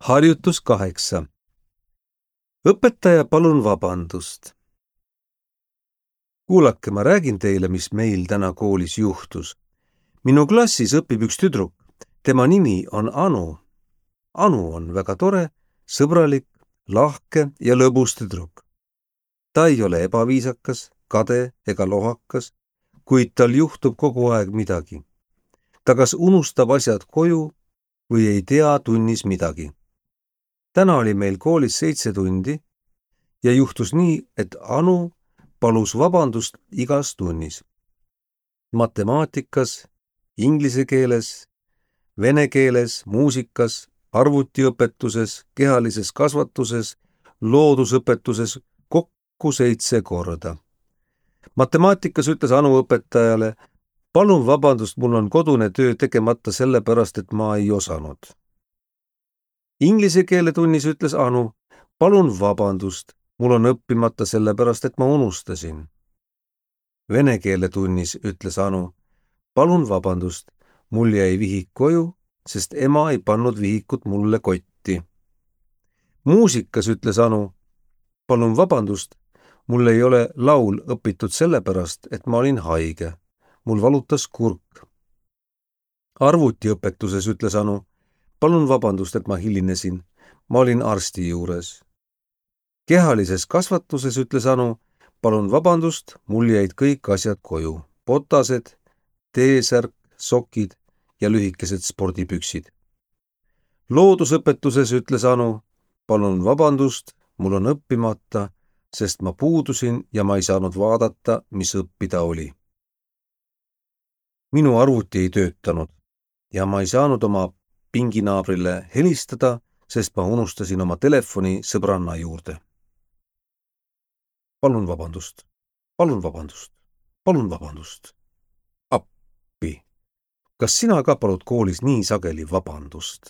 Harjutus 8. Õpetaja, palun vabandust. Kuulake, ma räägin teile, mis meil täna koolis juhtus. Minu klassis õpib üks tüdruk. Tema nimi on Anu. Anu on väga tore, sõbralik, lahke ja lõbus tüdruk. Ta ei ole ebaviisakas, kade ega lohakas, kuid tal juhtub kogu aeg midagi. Ta kas unustab asjad koju või ei tea tunnis midagi. Täna oli meil koolis 7 tundi ja juhtus nii, et Anu palus vabandust igas tunnis. Matemaatikas, inglise keeles, vene keeles, muusikas, arvutiõpetuses, kehalises kasvatuses, loodusõpetuses kokku 7 korda. Matemaatikas ütles Anu õpetajale: palun vabandust, mul on kodune töö tegemata sellepärast, et ma ei osanud. Inglise keele tunnis ütles Anu: palun vabandust, mul on õppimata sellepärast, et ma unustasin. Vene keele tunnis ütles Anu: palun vabandust, mul jäi vihik koju, sest ema ei pannud vihikut mulle kotti. Muusikas ütles Anu: palun vabandust, mul ei ole laul õpitud sellepärast, et ma olin haige. Mul valutas kurk. Arvutiõpetuses ütles Anu: palun vabandust, et ma hilinesin. Ma olin arsti juures. Kehalises kasvatuses ütles Anu: palun vabandust, mul jäid kõik asjad koju. Botased, T-särk, sokid ja lühikesed spordipüksid. Loodusõpetuses ütles Anu: palun vabandust, mul on õppimata, sest ma puudusin ja ma ei saanud vaadata, mis õppida oli. Minu arvuti ei töötanud ja ma ei saanud oma pinginaabrile helistada, sest ma unustasin oma telefoni sõbranna juurde. Palun vabandust, palun vabandust, palun vabandust. Appi, kas sina ka palud koolis nii sageli vabandust?